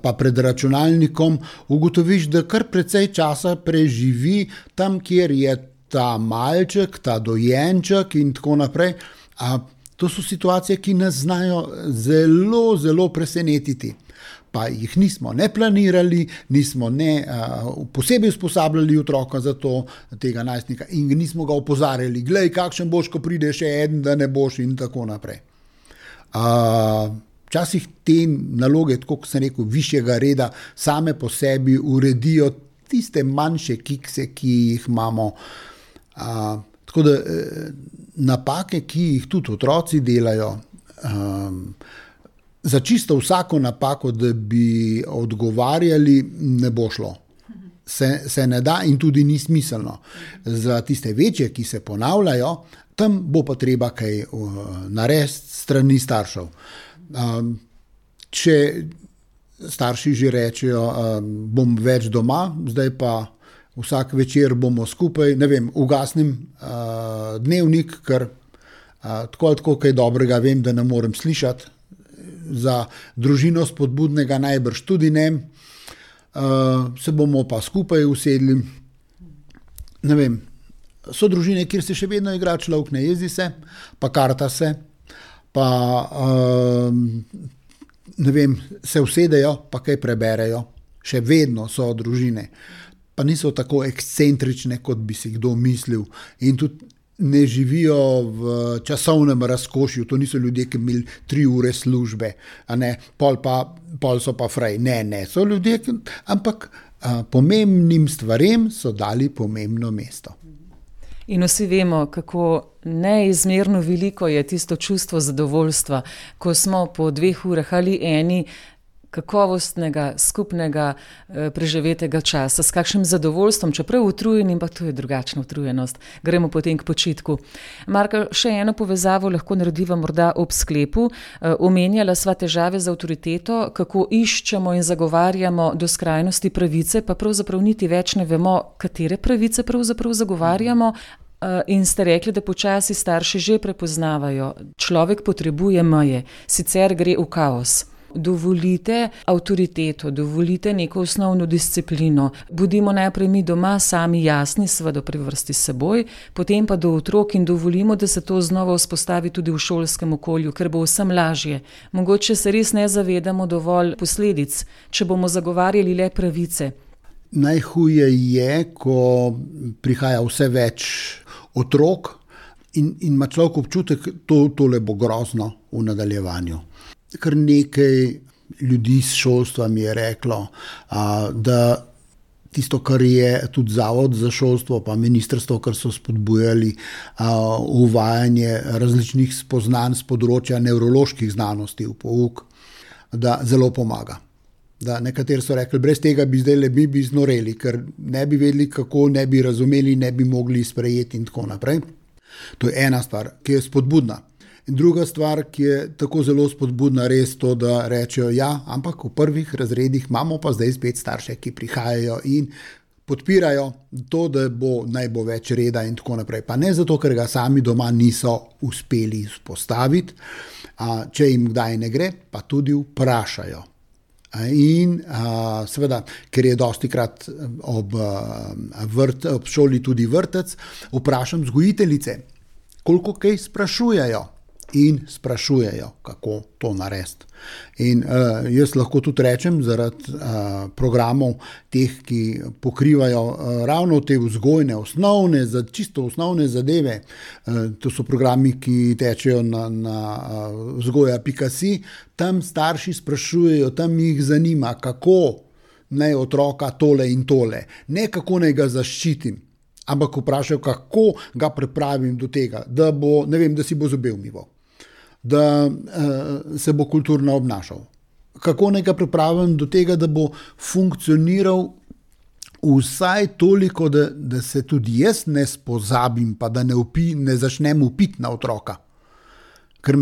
pa pred računalnikom, ugotoviš, da kar precej časa preživi tam, kjer je ta malček, ta dojenček in tako naprej. A to so situacije, ki nas znajo zelo, zelo presenetiti. Pa jih nismo ne planirali, nismo ne uh, posebej usposabljali otroka za to, tega najstnika, in nismo ga opozarjali, glej, kakšen boš, ko pride še eden, da ne boš in tako naprej. Uh, včasih te naloge, tako kot sem rekel, višjega reda, same po sebi uredijo tiste manjše kikse, ki jih imamo. Uh, tako da uh, napake, ki jih tudi otroci delajo, um, za čisto vsako napako, da bi odgovarjali, ne bo šlo. Se, se ne da in tudi ni smiselno. Za tiste večje, ki se ponavljajo, tam bo pa treba kaj uh, narediti strani staršev. Um, če starši že rečejo, um, bom več doma, zdaj pa vsak večer bomo skupaj, ne vem, ugasnim uh, dnevnik, ker uh, tako ali tako kaj dobrega vem, da ne morem slišati. Za družino spodbudnega najbrž tudi ne. Uh, se bomo pa skupaj usedli. Ne vem, so družine, kjer se še vedno igra človek, ne jezi se, pa karta se, pa uh, ne vem, se usedejo, pa kaj preberejo. Še vedno so družine. Pa niso tako ekscentrične, kot bi si kdo mislil. In tudi ne živijo v časovnem razkošju. To niso ljudje, ki imeli tri ure službe, a ne, pol, pa, pol so pa fraj. Ne, ne, so ljudje, ki, ampak a, pomembnim stvarem so dali pomembno mesto. In vsi vemo, kako neizmerno veliko je tisto čustvo zadovoljstva, ko smo po dveh urah ali eni kakovostnega, skupnega, preživetega časa, s kakšnim zadovoljstvom, čeprav utrujeni, pa to je drugačna utrujenost. Gremo potem k počitku. Marko, še eno povezavo lahko narediva morda ob sklepu. Omenjala sva težave z avtoriteto, kako iščemo in zagovarjamo do skrajnosti pravice, pa pravzaprav niti več ne vemo, katere pravice pravzaprav zagovarjamo. In ste rekli, da počasi starši že prepoznavajo. Človek potrebuje meje, sicer gre v kaos. Dovolite avtoriteto, dovolite neko osnovno disciplino. Budimo najprej mi doma sami jasni, seveda pri vrsti s seboj, potem pa do otrok in dovolimo, da se to znova vzpostavi tudi v šolskem okolju, ker bo vsem lažje. Mogoče se res ne zavedamo dovolj posledic, če bomo zagovarjali le pravice. Najhuje je, ko prihaja vse več otrok in, in ima človek občutek, to tole bo grozno v nadaljevanju. Kar nekaj ljudi s šolstva mi je reklo, a, da tisto, kar je tudi Zavod za šolstvo, pa ministrstvo, kar so spodbujali a, uvajanje različnih spoznanj z področja nevroloških znanosti v pouk, da zelo pomaga. Da nekateri so rekli, brez tega bi zdaj le bi, bi znoreli, ker ne bi vedeli, kako, ne bi razumeli, ne bi mogli sprejeti in tako naprej. To je ena stvar, ki je spodbudna. In druga stvar, ki je tako zelo spodbudna, res to, da rečejo, ja, ampak v prvih razredih imamo pa zdaj spet starše, ki prihajajo in podpirajo to, da bo naj bo več reda in tako naprej. Pa ne zato, ker ga sami doma niso uspeli vzpostaviti, a, če jim kdaj ne gre, pa tudi vprašajo. In a, seveda, ker je dostikrat ob, vrt, ob šoli tudi vrtec, vprašam vzgojiteljice, koliko kaj sprašujejo. In sprašujejo, kako to narediti. In uh, jaz lahko tudi rečem, zaradi uh, programov teh, ki pokrivajo uh, ravno te vzgojne, osnovne, za čisto osnovne zadeve, uh, to so programi, ki tečejo na, na uh, vzgoja pika si, tam starši sprašujejo, tam jih zanima, kako naj otroka tole in tole, ne kako naj ga zaščitim, ampak vprašajo, kako ga pripravim do tega, da bo, ne vem, da si bo zobe umival, da uh, se bo kulturno obnašal. Kako naj ga pripravim do tega, da bo funkcioniral vsaj toliko, da, da se tudi jaz ne spozabim, pa da ne, upi, ne začnem upiti na otroka. Ker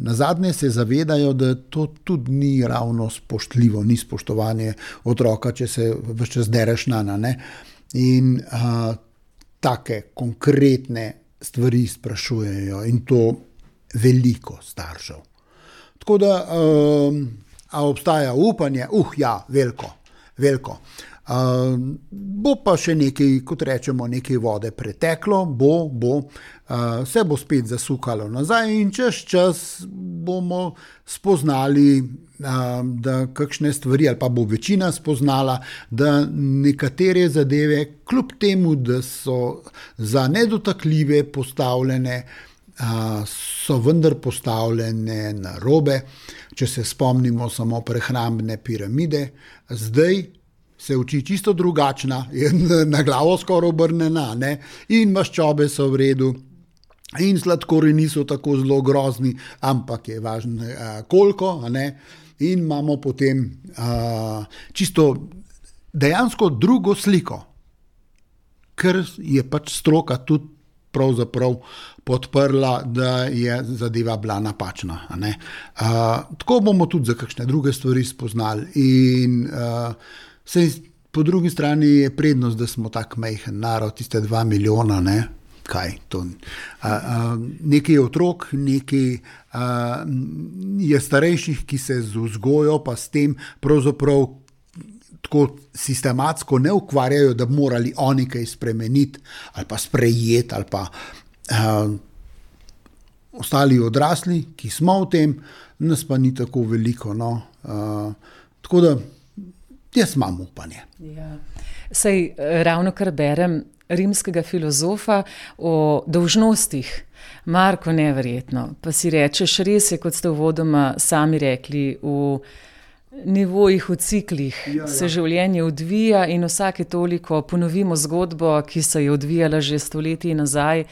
nazadnje se zavedajo, da to tudi ni ravno spoštljivo, ni spoštovanje otroka, če se ves čas dereš na, ne. In uh, take konkretne stvari sprašujejo in to veliko staršev. Tako da, um, a obstaja upanje? Uh, ja, veliko, veliko. Um, bo pa še nekaj, kot rečemo, nekaj vode preteklo, bo, bo, uh, se bo spet zasukalo nazaj in čez čas bomo spoznali, uh, da kakšne stvari, ali pa bo večina spoznala, da nekatere zadeve, kljub temu, da so za nedotakljive postavljene, so vendar postavljene na robe. Če se spomnimo samo prehrambne piramide, zdaj se uči čisto drugačna, na glavo skoraj obrnjena, ne? In maščobe so v redu, In sladkorji niso tako zelo grozni, ampak je važno uh, koliko, a ne? In imamo potem uh, čisto dejansko drugo sliko, ker je pač stroka tudi pravzaprav podprla, da je zadeva bila napačna. A ne? Uh, tako bomo tudi za kakšne druge stvari spoznali. In uh, sej, po drugi strani je prednost, da smo tak majhen narod, tiste dva milijona, ne? Kaj to? Uh, uh, nekaj je otrok, nekaj uh, je starejših, ki se z vzgojo pa s tem pravzaprav tako sistematsko ne ukvarjajo, da bi morali oni kaj spremeniti ali pa sprejeti ali pa uh, ostali odrasli, ki smo v tem, nas pa ni tako veliko. No? Uh, tako da jaz imam upanje. Ja. Sej ravno kar berem rimskega filozofa o dolžnostih. Marko, neverjetno. Pa si rečeš, res je, kot ste uvodoma sami rekli, v nivojih, v ciklih ja, ja. se življenje odvija in vsake toliko ponovimo zgodbo, ki se je odvijala že stoletji nazaj.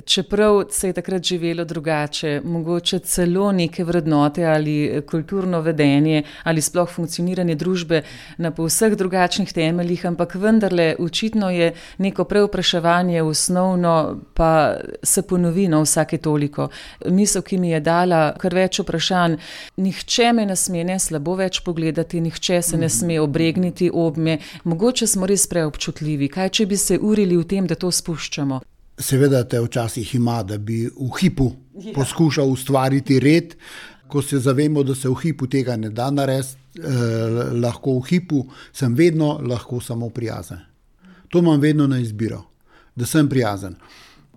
Čeprav se je takrat živelo drugače, mogoče celo neke vrednote ali kulturno vedenje ali sploh funkcioniranje družbe na povseh drugačnih temeljih, ampak vendarle očitno je neko preopraševanje osnovno, pa se ponovi na vsake toliko. Misel, ki mi je dala kar več vprašanj, nihče me ne sme ne slabo več pogledati, nihče se ne sme obregniti ob me, mogoče smo res preobčutljivi, kaj če bi se urili v tem, da to spuščamo? Seveda te včasih ima, da bi v hipu ja. poskušal ustvariti red, ko se zavemo, da se v hipu tega ne da narediti, eh, lahko v hipu sem vedno lahko samo prijazen. To imam vedno na izbiro, da sem prijazen.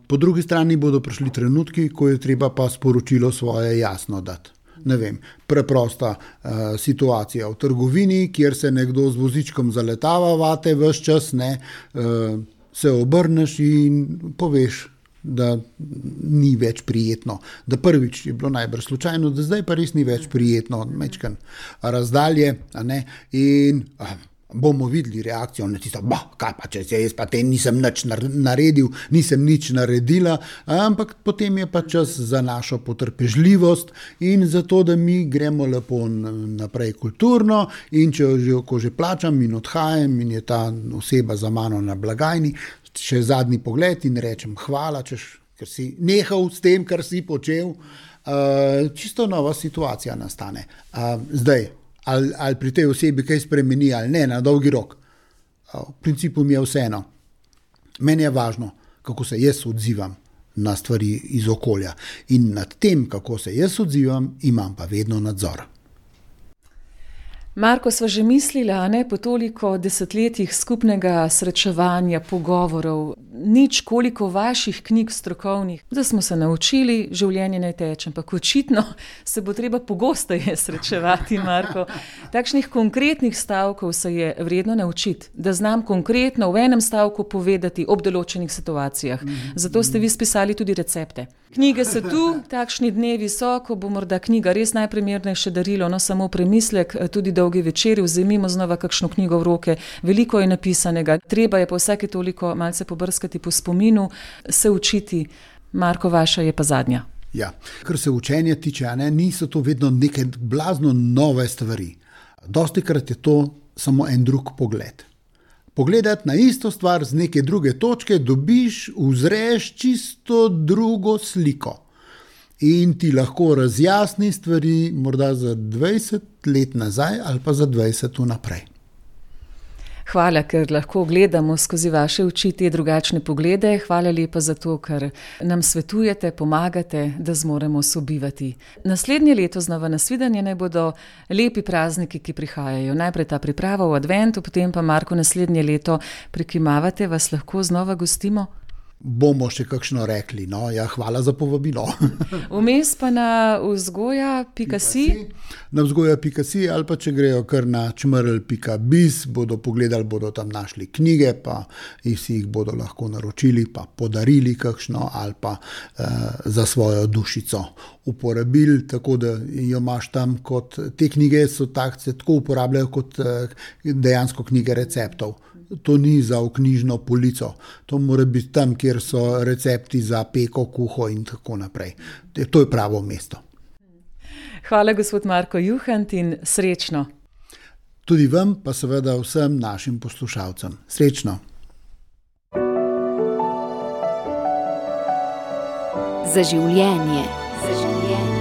Po drugi strani bodo prišli trenutki, ko je treba pa sporočilo svoje jasno dati. Ne vem, preprosta uh, situacija v trgovini, kjer se nekdo z vozičkom zaletava vate ves čas, ne, uh, se obrneš in poveš, da ni več prijetno. Da prvič je bilo najbrž slučajno, da zdaj pa res ni več prijetno, mečkan razdalje, a ne, in a, bomo videli reakcijo na tisto, bah, kaj pa, če se jaz pa te nisem nič naredil, nisem nič naredila, ampak potem je pa čas za našo potrpežljivost in za to, da mi gremo lepo naprej kulturno in če že, ko že plačam in odhajam in je ta oseba za mano na blagajni, še zadnji pogled in rečem hvala, češ, ker si nehal s tem, kar si počel, uh, čisto nova situacija nastane. Uh, zdaj, Ali, ali pri tej osebi kaj spremeni ali ne, na dolgi rok. V principu mi je vseeno. Meni je važno, kako se jaz odzivam na stvari iz okolja. In nad tem, kako se jaz odzivam, imam pa vedno nadzor. Marko, sva že mislila, ne, po toliko desetletjih skupnega srečevanja, pogovorov, nič koliko vaših knjig strokovnih, da smo se naučili, življenje ne teče, ampak očitno se bo treba pogosteje srečevati, Marko. Takšnih konkretnih stavkov se je vredno naučiti, da znam konkretno v enem stavku povedati ob določenih situacijah. Zato ste vi spisali tudi recepte. Knjige so tu, takšni dnevi so, ko bo morda knjiga res najprimernejše darilo, no samo premislek, tudi dolgi večeri, vzemimo znova kakšno knjigo v roke, veliko je napisanega, treba je po vsake toliko malce pobrskati po spominu, se učiti. Marko, vaša je pa zadnja. Ja, kar se učenja tiče, ne, niso to vedno neke blazno nove stvari. Dostikrat je to samo en drug pogled. Pogledati na isto stvar z neke druge točke, dobiš, uzreš čisto drugo sliko. In ti lahko razjasni stvari morda za dvajset let nazaj ali pa za dvajset naprej. Hvala, ker lahko gledamo skozi vaše oči te drugačne poglede. Hvala lepa za to, ker nam svetujete, pomagate, da zmoremo sobivati. Naslednje leto znova nasvidenje naj bodo lepi prazniki, ki prihajajo. Najprej ta priprava v adventu, potem pa, Marko, naslednje leto prikimavate, vas lahko znova gostimo? Bomo še kakšno rekli, no, ja, hvala za povabilo. Vmes pa na vzgoja pika si? Na vzgoja pika si ali pa če grejo kar na čmrl pika biz, bodo pogledali, bodo tam našli knjige, pa si jih bodo lahko naročili, pa podarili kakšno ali pa uh, za svojo dušico uporabili, tako da jo imaš tam kot te knjige so tak, se tako uporabljajo kot dejansko knjige receptov. To ni za v knjižno polico, to mora biti tam, kjer so recepti za peko, kuho in tako naprej. To je pravo mesto. Hvala, gospod Marko Juhant, in srečno. Tudi vam, pa seveda vsem našim poslušalcem. Srečno. Za življenje. Za življenje.